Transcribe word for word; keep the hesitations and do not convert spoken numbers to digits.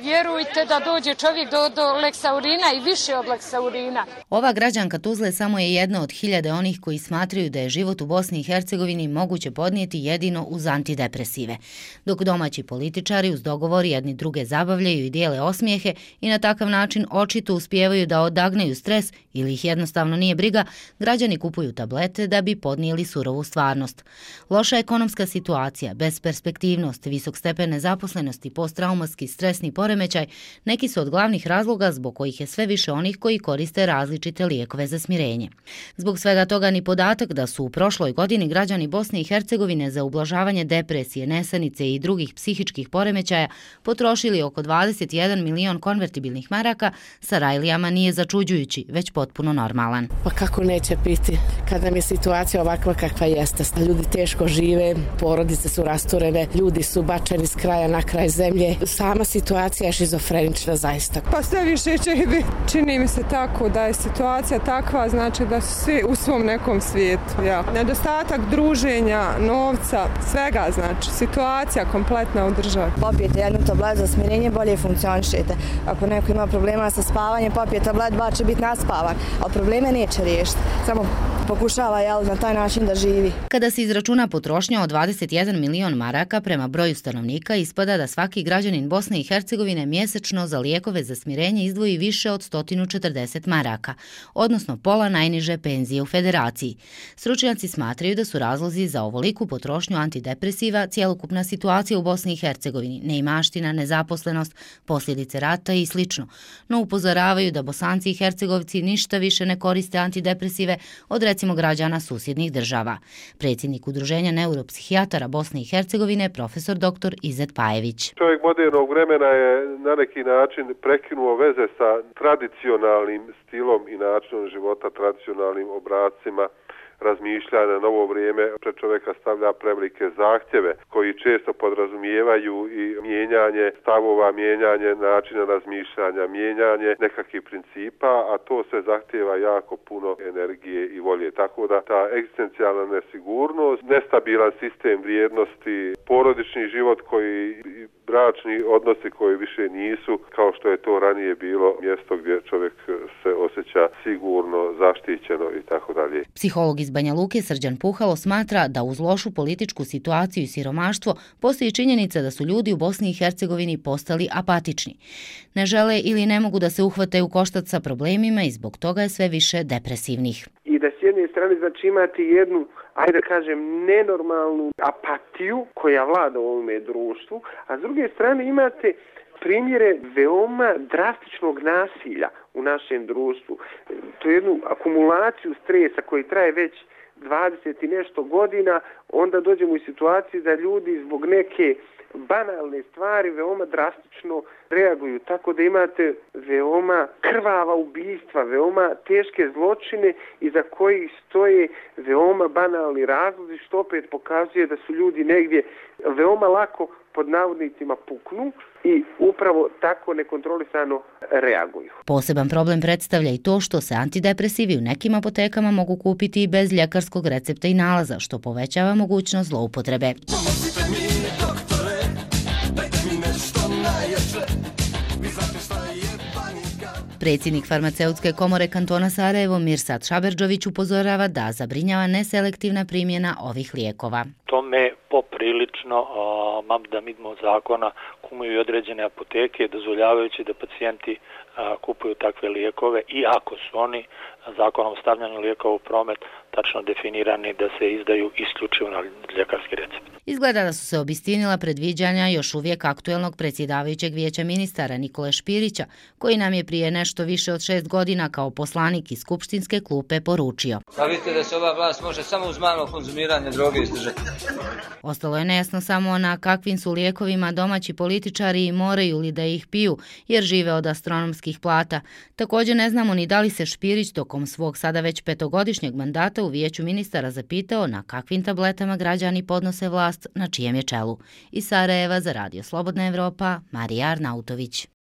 vjerujte da dođe čovjek do, do leksaurina i više od leksaurina. Ova građanka Tuzle samo je jedna od hiljade onih koji smatraju da je život u Bosni i Hercegovini moguće podnijeti jedino uz antidepresive. Dok domaći političari uz dogovor jedni druge zabavljaju i dijele osmijehe i na takav način očito uspijevaju da odagneju stres ili ih jednostavno nije briga, građani kupuju tablete da bi podnijeli surovu stvarnost. Loša ekonomska situacija, besperspektivnost, visok stepen nezaposlenosti, posttraumatski stresni poremećaj neki su od glavnih razloga zbog kojih je sve više onih koji koriste različite lijekove za smirenje. Zbog svega toga ni podatak da su u prošloj godini građani Bosne i Hercegovine za ublažavanje depresije, nesanice i drugih psihičkih poremećaja potrošili oko dvadeset jedan milion konvertibilnih maraka sa rajlijama nije začuđujući, već potpuno normalan. Pa kako neće biti kada nam je situacija ovakva kakva jeste? Ljudi teško žive, porodice su rasturene, ljudi su bačeni s kraja na kraj zemlje. Sama situacija je šizofrenična zaista. Pa sve više će biti. Čini mi se tako da je situacija takva, znači da su svi u svom nekom svijetu. Ja. Nedostatak druženja, novca, svega znači. Situacija kompletna u državi. Popijete jednu tablet za smirenje, bolje funkcionišete. Ako neko ima problema sa spavanjem, popije tablet, dva će biti naspavan, ali probleme neće riješiti. Samo pokušava jel, na taj način da živi. Kada se izračuna potrošnja od dvadeset jedan milion maraka prema broju stanovnika, ispada da svaki građanin Bosne i Hercegovine mjesečno za lijekove za smirenje izdvoji više od sto četrdeset maraka, odnosno pola najniže penzije u federaciji. Stručnjaci smatraju da su razlozi za ovoliku potrošnju antidepresiva cjelokupna situacija u Bosni i Hercegovini, neimaština, nezaposlenost, posljedice rata i slično, no upozoravaju da Bosanci i Hercegovci ništa više ne koriste antidepresive od recimo građana susjednih država. Predsjednik Udruženja neuropsihijatara Bosne i Hercegovine, profesor doktor Izet Pajević. Čovjek modernog vremena je na neki način prekinuo veze sa tradicionalnim stilom i načinom života, tradicionalnim obracima razmišljanja. Na novo vrijeme pred čovjeka stavlja prevelike zahtjeve koji često podrazumijevaju i mijenjanje stavova, mijenjanje načina razmišljanja, mijenjanje nekakvih principa, a to se zahtjeva jako puno energije i volje. Tako da ta egzistencijalna nesigurnost, nestabilan sistem vrijednosti, porodični život koji bračni odnosi koji više nisu kao što je to ranije bilo mjesto gdje čovjek se osjeća sigurno, zaštićeno i tako dalje. Psiholog iz Banja Luke Srđan Puhalo smatra da uz lošu političku situaciju i siromaštvo postoji činjenica da su ljudi u Bosni i Hercegovini postali apatični. Ne žele ili ne mogu da se uhvate u koštac sa problemima i zbog toga je sve više depresivnih. I da s jedne strane znači imati jednu, ajde da kažem, nenormalnu apatiju koja vlada u ovome društvu, a s druge strane imate primjere veoma drastičnog nasilja u našem društvu. To je jednu akumulaciju stresa koji traje već dvadeset i nešto godina, onda dođemo u situaciju da ljudi zbog neke banalne stvari veoma drastično reaguju, tako da imate veoma krvava ubistva, veoma teške zločine iza kojih stoje veoma banalni razlozi, što opet pokazuje da su ljudi negdje veoma lako pod navodnicima puknu i upravo tako nekontrolisano reaguju. Poseban problem predstavlja i to što se antidepresivi u nekim apotekama mogu kupiti i bez ljekarskog recepta i nalaza, što povećava mogućnost zloupotrebe. Predsjednik farmaceutske komore kantona Sarajevo Mirsad Šaberdžović upozorava da zabrinjava neselektivna primjena ovih lijekova. Tome poprilično mam da midmo zakona kumuju i određene apoteke dozvoljavajući da pacijenti a, kupuju takve lijekove i ako su oni zakonom o stavljanju lijekova u promet tačno definirani da se izdaju isključivo na ljekarski recept. Izgleda da su se obistinila predviđanja još uvijek aktuelnog predsjedavajućeg vijeća ministara Nikole Špirića, koji nam je prije nešto više od šest godina kao poslanik iz skupštinske klupe poručio. Pa vidite da se ova vlast može samo uz malo konzumiranje droge izdržati. Ostalo je nejasno samo na kakvim su lijekovima domaći političari i moraju li da ih piju, jer žive od astronomskih plata. Također ne znamo ni da li se Špirić tokom svog sada već petogodišnjeg mandata u vijeću ministara zapitao na kakvim tabletama građani podnose vlast na čijem je čelu. Iz Sarajeva za Radio Slobodna Evropa, Marija Arnautović.